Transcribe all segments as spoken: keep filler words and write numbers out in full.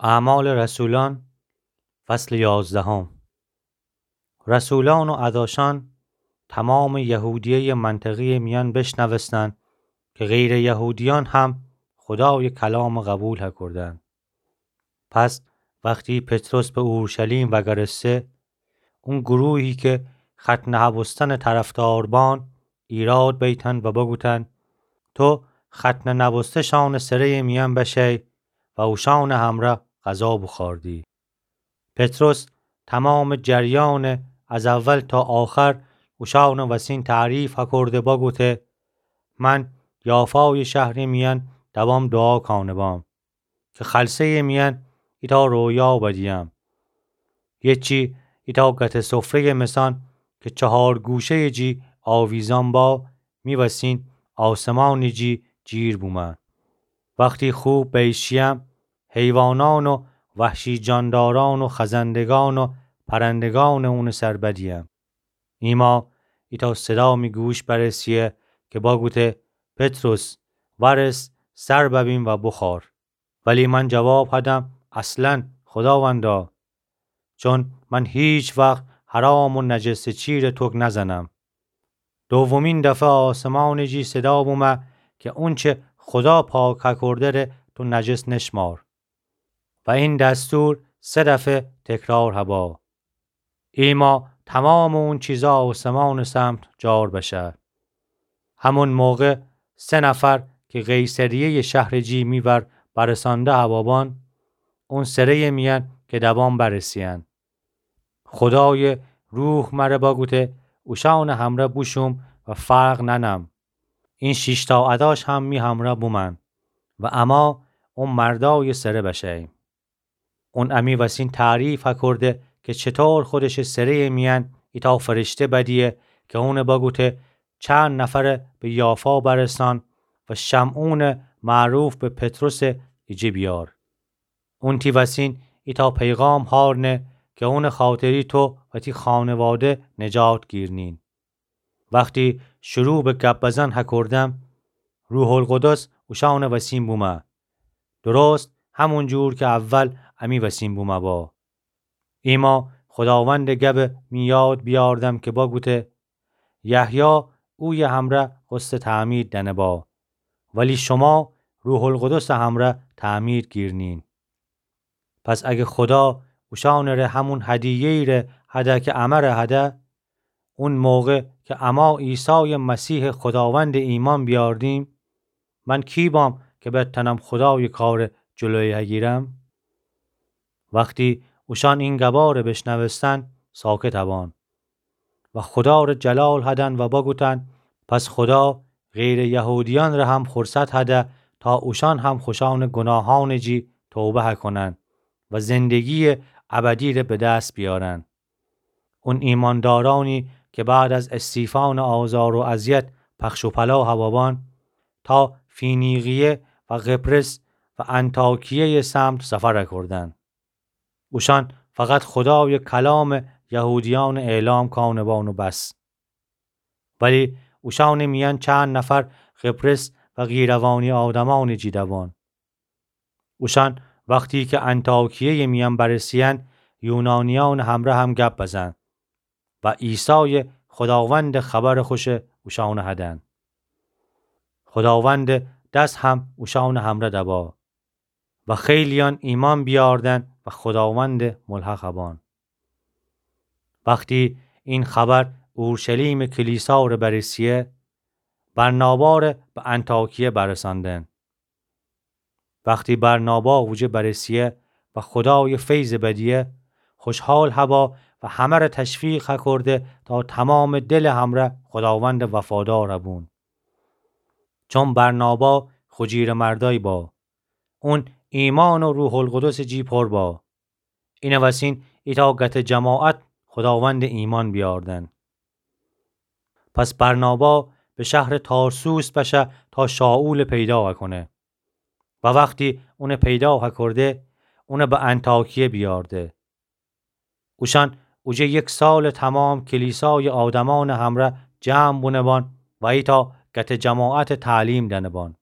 اعمال رسولان، فصل یازدهم. رسولان و اداشان تومامٚ یهودیهٔ منطقهٔ میأن بشنوستن که غیرٚ یهودیأن هم خودایٚ کلامَ قبول هکردن. پس وختی پطرس به اورشلیم وگرسته، اون گروهی که ختنه هبوستنٚ طرفدار بان، ایراد بیتن و بگوتن: تو ختنه نبوسته‌شانٚ سره‌یٚ میأن بشئی و اوشانٚ همرأ غذا بوخوردی. پطرس تومامٚ جریانَ از اول تا آخر اوشانٚ وسین تعریف هکرده بگوته: من یافایٚ شهرٚ میأن دبام دوعا کانه‌بام که خلسه‌یٚ میأن ایتأ رویا بدیم. یه چی ایتأ گته سفره‌یٚ مثان که چهار گوشه‌یٚ جی آویزان با، می وسین آسمانٚ جی جیر بومه. وختی خوب بیشیم، حیوانان و وحشی جانداران و خزندگان و پرندگانٚ اونٚ سر بدیم. ایما ایتأ صدا می گوش برسیه که بگوته: پطرس، ورس، سر ببین و بوخور. ولی من جواب هدم: اصلاً، خوداوندا، چون من هیچ وخت حرام و نجسٚ چیره توک نزنم. دومین دفعه آسمانٚ جی صدا بومه که اونچه خودا پاک هکرده ره تو نجس نشمار. و این دستور سه دفعه تکرار هبا. ایما تومامٚ اون چیزا آسمانٚ سمت جار بشه. همون موقع سه نفر که قیصریه‌یٚ شهرٚ جی می ور برسانده هبابان، اون سره‌یٚ میأن که دبان برسیین. خودایٚ روح مره بگوته اوشانٚ همرأ بوشوم و فرق ننم. این شیشتأ اداش هم می همرأ بومن و اما اون مردایٚ سره بشه‌ییم. اون امی وسین تعریف هکرده که چطور خودشٚ سره‌یٚ میأن ایتأ فرشته بدیه که اونٚ بگوته چند نفره به یافا برسان و شمعونٚ معروف به پطرسٚ ایجه بیار. اون تی وسین ایتأ پیغام هارنه که اونٚ خاطری تو و تی خانواده نجات گیرنین. وختی شروع به گپ بزن هکردم، روح‌القدس اوشانٚ وسین بومه، درست همون جور که اول امی وسین بومه با. ایما خوداوندٚ گبٚ می یاد بیاردم که بگوته، یحیی اویه همرأ غسلٚ تعمید دأنه با، ولی شما روح‌القدسٚ همرأ تعمید گیرنین. پس اگه خودا اوشانٚ ره همون هدیه‌یی ره هده که امره هده، اون موقع که اما عیسایٚ مسیحٚ خوداوندٚ ایمأن بیاردیم، من کی بام که بتأنم خودایٚ کارٚ جلویه هگیرم؟ وختی اوشان این گباره بشنوستن، ساکت هبان و خودا ره جلال هدن و بگوتن، پس خودا غیرٚ یهودیأن ره هم فرصت هده تا اوشان هم خوشأنٚ گوناهأنٚ جی توبه هکونن و زندگییٚ ابدی ره به دس بیارن. اون ایمأندارأنی که بعد از استیفانٚ آزار و اذیت پخش و پلا هوابان، تا فینیقیه و قبرس و انطاکیه‌یٚ سمت سفر کردن. اوشأن فقط خودایٚ کلامٚ یهودیأن اعلام کانه‌بان و بس. ولی اوشأنٚ میأن چند نفر قبرس و قیروانی آدمأنٚ جی دبان. اوشأن وختی که انطاکیه‌یٚ میأن برسیین، یونانیأنٚ همرأ هم گپ بزن و عیسایٚ خوداوندٚ خبرٚ خوشٚ اوشأنٚ هدن. خوداوندٚ دس هم اوشأنٚ همرأ دبا و خیلیأن ایمأن بیاردن و خوداوندٚ ملحق هبان. وختی این خبر اورشلیمٚ کلیسا ره برسیه، برنابا ره به انطاکیه برسأندن. وختی برنابا اوجه برسیه و خودایٚ فیضٚ بدیه، خوشحال هبا و همه ره تشویق هکرده تا تومامٚ دلٚ همرأ خوداوندٚ وفادار هبون. چون برنابا خو جیرٚ مردأیی با، اون ایمأن و روح‌القدسٚ جی پر با. اینٚ وسین ایتأ گته جماعت خوداوندٚ ایمأن بیاردن. پس برنابا به شهرٚ تارسوس بشه تا شائولٚ پیدا هکونه. و وختی اونٚ پیدا هکرده، اونٚ به انطاکیه بیارده. اوشأن اوجه یک سالٚ تومام کلیسایٚ آدمأنٚ همرأ جمع بونه‌بان و ایتأ گته جماعتٚ تعلیم دأنه‌بان.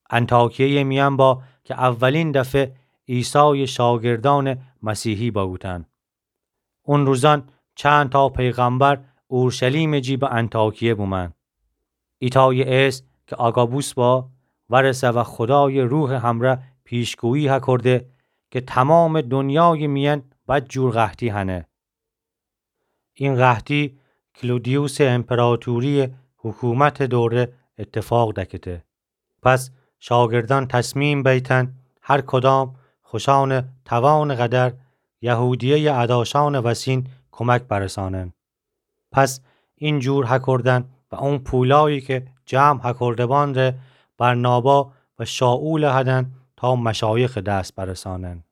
انطاکیه‌یٚ میأن با که اولین دفعه عیسایٚ شاگردأنٚ مسیحی بأوتأن. اون روزأن چند تا پیغمبر اورشلیمٚ جی به انطاکیه بومأن. ایتایٚ اسم کی آگابوس با، ورسه و خودایٚ روحٚ همره پیشگویی هکرده کی تومامٚ دونیایٚ میأن بدجور قحطی هنه. این قحطی کلودیوسٚ امپراطوریٚ حکومتٚ دوره ایتفاق دکته. پس شاگردأن تصمیم بیتأن هر کدام خوشأنٚ توانٚ قدر یهودیه‌یٚ اداشأنٚ وسین کمک برسانن. پس این جور هکردن و اون پولایی کی جمع هکرده‌بان ره برنابا و شائولٚ هدن تا مشایخٚ دس برسانن.